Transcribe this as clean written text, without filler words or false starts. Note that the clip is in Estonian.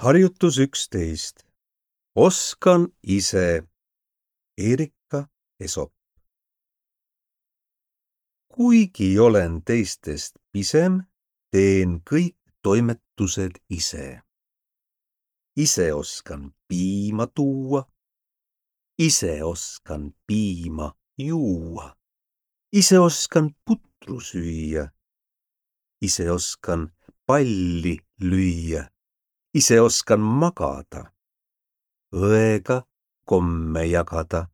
Harjutus 11. Oskan ise. Erika Esop. Kuigi olen teistest pisem, teen kõik toimetused ise. Ise oskan piima tuua. Ise oskan piima juua. Ise oskan putru süüa. Ise oskan palli lüüa. Ise oskan magada. Õega komme jagada.